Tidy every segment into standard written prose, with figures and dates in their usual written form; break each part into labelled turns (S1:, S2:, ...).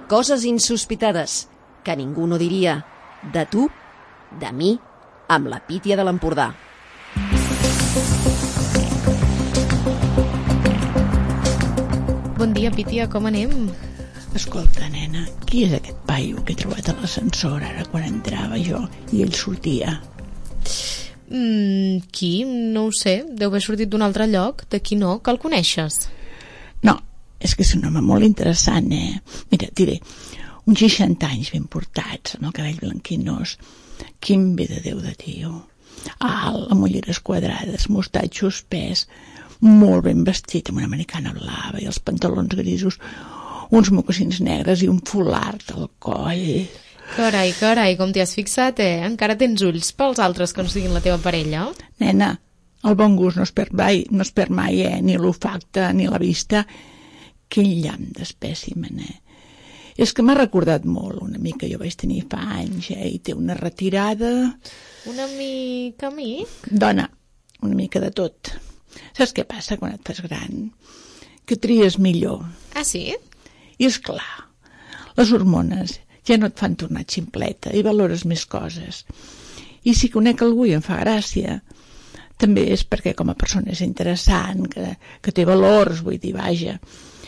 S1: Coses insospitades que ningú no diria. De tu, de mi, amb la Pítia de l'Empordà.
S2: Bon dia, Pítia, com anem?
S3: Escolta, nena, qui és aquest paio que he trobat a l'ascensor ara quan entrava jo i ell sortia?
S2: Qui? No ho sé. Deu haver sortit d'un altre lloc. D'aquí no, que el coneixes.
S3: No, és que és un home molt interessant, Mira, et diré, uns 60 anys ben portats, amb el cabell blanquinós. Quin bé de Déu de tio. Alt, amb ulleres quadrades, mostatxo espès, molt ben vestit, amb una americana blava i els pantalons grisos, uns mocassins negres i un fulard al coll.
S2: Carai, com t'hi has fixat, Encara tens ulls pels altres que no siguin la teva parella?
S3: Nena, el bon gust no es perd mai, ni l'olfacte ni la vista. Quin llamp d'espècimen, És que m'ha recordat molt una mica, jo vaig tenir fa anys, i té una retirada...
S2: Una mica a mi?
S3: Dona, una mica de tot. Saps què passa quan et fas gran? Que tries millor.
S2: Ah, sí?
S3: I és clar, les hormones ja no et fan tornar ximpleta i valores més coses. I si conec algú i em fa gràcia, també és perquè com a persona és interessant, que té valors, vull dir, vaja.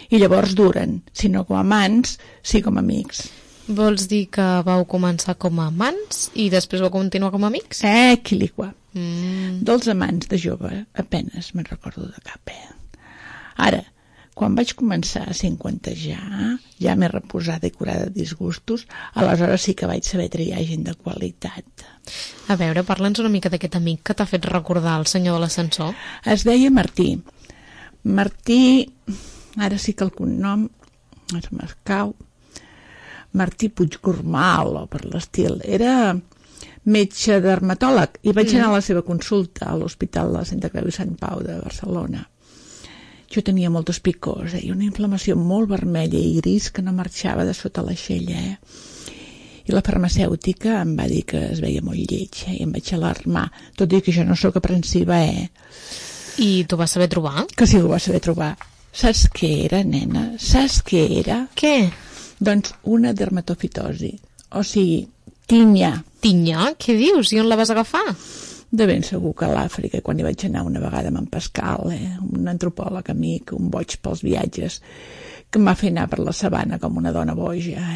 S3: I llavors duren, si no com a amants, sí com a amics.
S2: Vols dir que vau començar com a amants i després vau continuar com a amics?
S3: Quilicua. Dels amants de jove apenes me'n recordo de cap, Ara, quan vaig començar a cinquantejar, ja m'he reposada i curada de disgustos, aleshores sí que vaig saber triar gent de qualitat.
S2: A veure, parla'ns una mica d'aquest amic que t'ha fet recordar el senyor de l'ascensor.
S3: Es deia Martí. Martí, ara sí que el cognom es m'escau, Martí Puigcormal, o per l'estil. Era metge dermatòleg i vaig anar a la seva consulta a l'Hospital de Santa Creu i Sant Pau de Barcelona. Jo tenia moltes picors i una inflamació molt vermella i gris que no marxava de sota l'aixella. I la farmacèutica em va dir que es veia molt lleig i em vaig alarmar, tot i que jo no sóc aprensiva.
S2: I t'ho vas saber trobar?
S3: Que sí, ho vas saber trobar. Saps què era, nena? Saps què era?
S2: Què?
S3: Doncs una dermatofitosi, o sigui, tinya.
S2: Tinya? Què dius? I on la vas agafar?
S3: De ben segur que a l'Àfrica, quan hi vaig anar una vegada amb en Pascal, un antropòleg amic, un boig pels viatges, que em va fer anar per la sabana com una dona boja.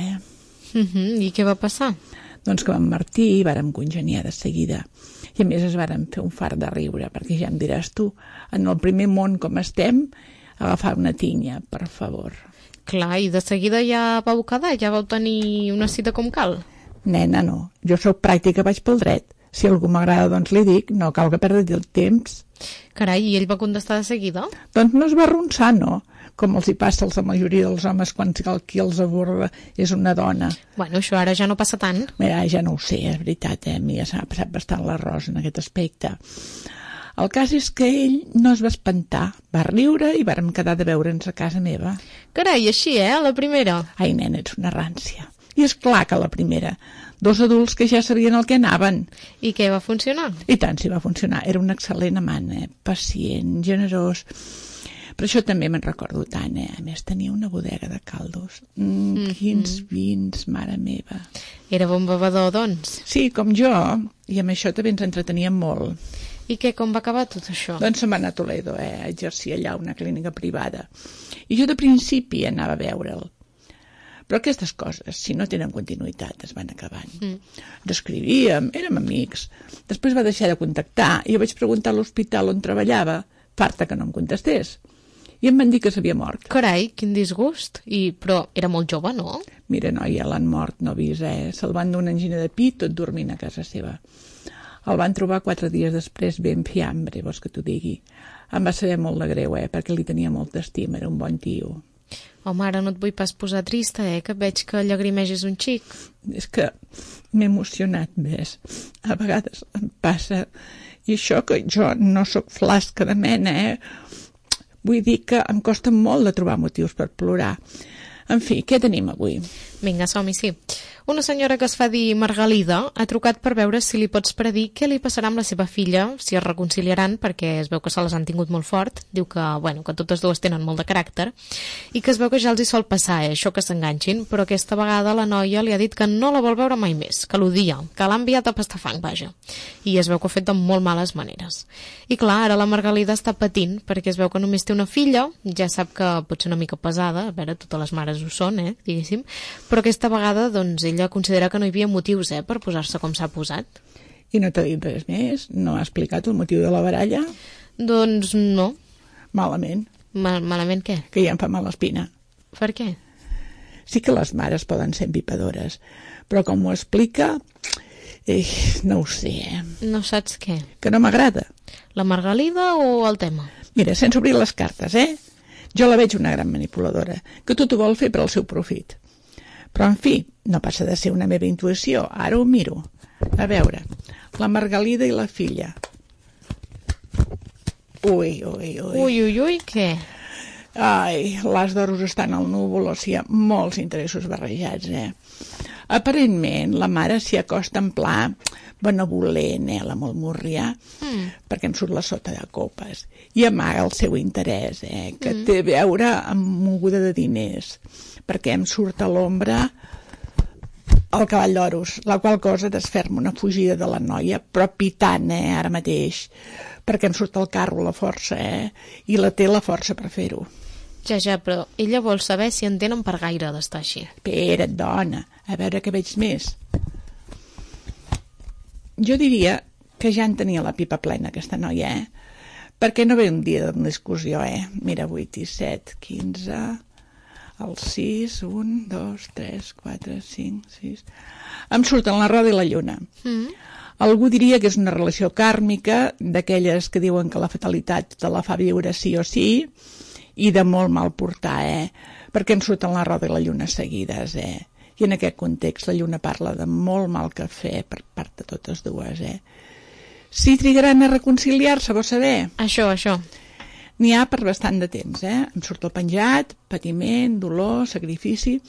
S2: I què va passar?
S3: Doncs que amb Martí vàrem congeniar de seguida. I a més es vàrem fer un fart de riure, perquè ja em diràs tu, en el primer món com estem, agafar una tinya, per favor.
S2: Clar, i de seguida ja vau quedar? Ja vau tenir una cita com cal?
S3: Nena, no. Jo sóc pràctica, vaig pel dret. Si algú m'agrada, doncs li dic, no cal que perdi el temps.
S2: Carai, i ell va contestar de seguida?
S3: Doncs no es va arronsar, no? Com els hi passa a la majoria dels homes quan qui els aborda és una dona.
S2: Bueno, això ara ja no passa tant.
S3: Mira, ja no ho sé, és veritat, a mi ja s'ha passat bastant l'arròs en aquest aspecte. El cas és que ell no es va espantar, va riure i vàrem quedar de veure'ns a casa meva.
S2: Carai, així, a la primera?
S3: Ai, nena, ets una rància. I és clar que a la primera. 2 adults que ja sabien el que anaven.
S2: I què, va funcionar?
S3: I tant, sí, va funcionar. Era un excel·lent amant, pacient, generós. Per això també me'n recordo tant, A més, tenia una bodega de caldos. Quins vins, mare meva.
S2: Era bon bevedor, doncs?
S3: Sí, com jo. I amb això també ens entreteníem molt.
S2: I què, com va acabar tot això?
S3: Doncs se'n va anar a Toledo, a exercir allà una clínica privada. I jo de principi anava a veure'l. Però aquestes coses, si no tenen continuïtat, es van acabant. Ens escrivíem, érem amics. Després va deixar de contactar i jo vaig preguntar a l'hospital on treballava, farta que no em contestés. I em van dir que s'havia mort.
S2: Carai, quin disgust. Però era molt jove, no?
S3: Mira, noia, l'han mort, no avisa, Se'l van dur una angina de pit tot dormint a casa seva. El van trobar 4 dies després ben fiambre, vols que t'ho digui. Em va saber molt de greu, perquè li tenia molta estima, era un bon tio.
S2: Home, ara no et vull pas posar trista, que veig que llagrimegis un xic.
S3: És que m'he emocionat més. A vegades em passa. I això que jo no sóc flasca de mena, Vull dir que em costa molt de trobar motius per plorar. En fi, què tenim avui?
S2: Vinga, som-hi, sí. Una senyora que es fa dir Margalida ha trucat per veure si li pots predir què li passarà amb la seva filla, si es reconciliaran, perquè es veu que se les han tingut molt fort. Diu que, bueno, que totes dues tenen molt de caràcter i que es veu que ja els hi sol passar, això que s'enganxin, però aquesta vegada la noia li ha dit que no la vol veure mai més, que l'odia, que l'ha enviat a pastar fang, vaja. I es veu que ho ha fet de molt males maneres. I clar, ara la Margalida està patint, perquè es veu que només té una filla, ja sap que pot ser una mica pesada, a veure, totes les mares ho són, diguéssim, però aquesta vegada, doncs, ella considera que no hi havia motius, per posar-se com s'ha posat.
S3: I no t'ha dit res més? No ha explicat el motiu de la baralla?
S2: Doncs no.
S3: Malament.
S2: Malament què?
S3: Que ja em fa mal l'espina.
S2: Per què?
S3: Sí que les mares poden ser empipadores, però com ho explica, no ho sé,
S2: No saps què?
S3: Que no m'agrada.
S2: La Margalida o el tema?
S3: Mira, sense obrir les cartes, Jo la veig una gran manipuladora, que tot ho vol fer per al seu profit. Però, en fi, no passa de ser una meva intuïció. Ara ho miro. A veure, la Margalida i la filla. Ui,
S2: Què?
S3: Ai, l'as d'oros estan al núvol, o sigui, molts interessos barrejats, Aparentment, la mare s'hi acosta en pla benevolent, la Molmurrià, perquè em surt la sota de copes, i amaga el seu interès, que té a veure amb moguda de diners, perquè em surt a l'ombra el cavall d'oros, la qual cosa desferma una fugida de la noia, però pitant, ara mateix, perquè em surt el carro la força, i la té la força per fer-ho.
S2: Ja, però ella vol saber si en tenen per gaire d'estar així.
S3: Espera't, dona, a veure què veig més. Jo diria que ja en tenia la pipa plena, aquesta noia, perquè no ve un dia d'una discussió, Mira, 8 i 7, 15... El 6, 1, 2, 3, 4, 5, 6... Em surten la roda i la lluna. Algú diria que és una relació kàrmica, d'aquelles que diuen que la fatalitat te la fa viure sí o sí, i de molt mal portar, perquè em surten la roda i la lluna seguides, I en aquest context la lluna parla de molt mal cafè per part de totes dues, Si trigaran a reconciliar-se, vols saber?
S2: Això.
S3: N'hi ha per bastant de temps, Em surt el penjat, patiment, dolor, sacrifici...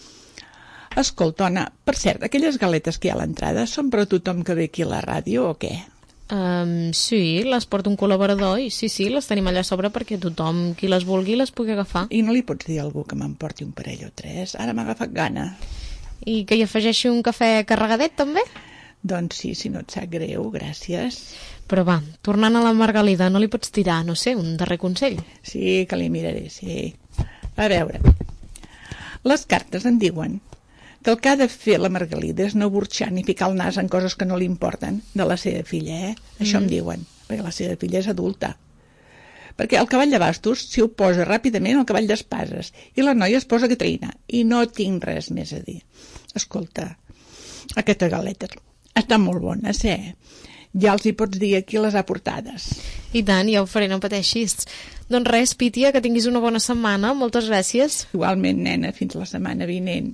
S3: Escolta, Ona, per cert, aquelles galetes que hi ha a l'entrada són per a tothom que ve aquí a la ràdio o què?
S2: Sí, les porta un col·laborador i sí, les tenim allà a sobre perquè tothom, qui les vulgui, les pugui agafar.
S3: I no li pots dir a algú que m'emporti un parell o 3? Ara m'ha agafat gana.
S2: I que hi afegeixi un cafè carregadet, també?
S3: Doncs sí, si no et sap greu, gràcies.
S2: Però va, tornant a la Margalida, no li pots tirar, no sé, un darrer consell?
S3: Sí, que li miraré, sí. A veure, les cartes em diuen que el que ha de fer la Margalida és no burxar ni ficar el nas en coses que no li importen de la seva filla, Això em diuen, perquè la seva filla és adulta. Perquè el cavall de bastos s'hi oposa ràpidament al cavall d'espases i la noia es posa Caterina i no tinc res més a dir. Escolta, aquestes galetes estan molt bones, Ja els hi pots dir a qui les ha portades.
S2: I tant, ja ho faré, no pateixis. Doncs res, Pítia, que tinguis una bona setmana. Moltes gràcies.
S3: Igualment, nena, fins la setmana vinent.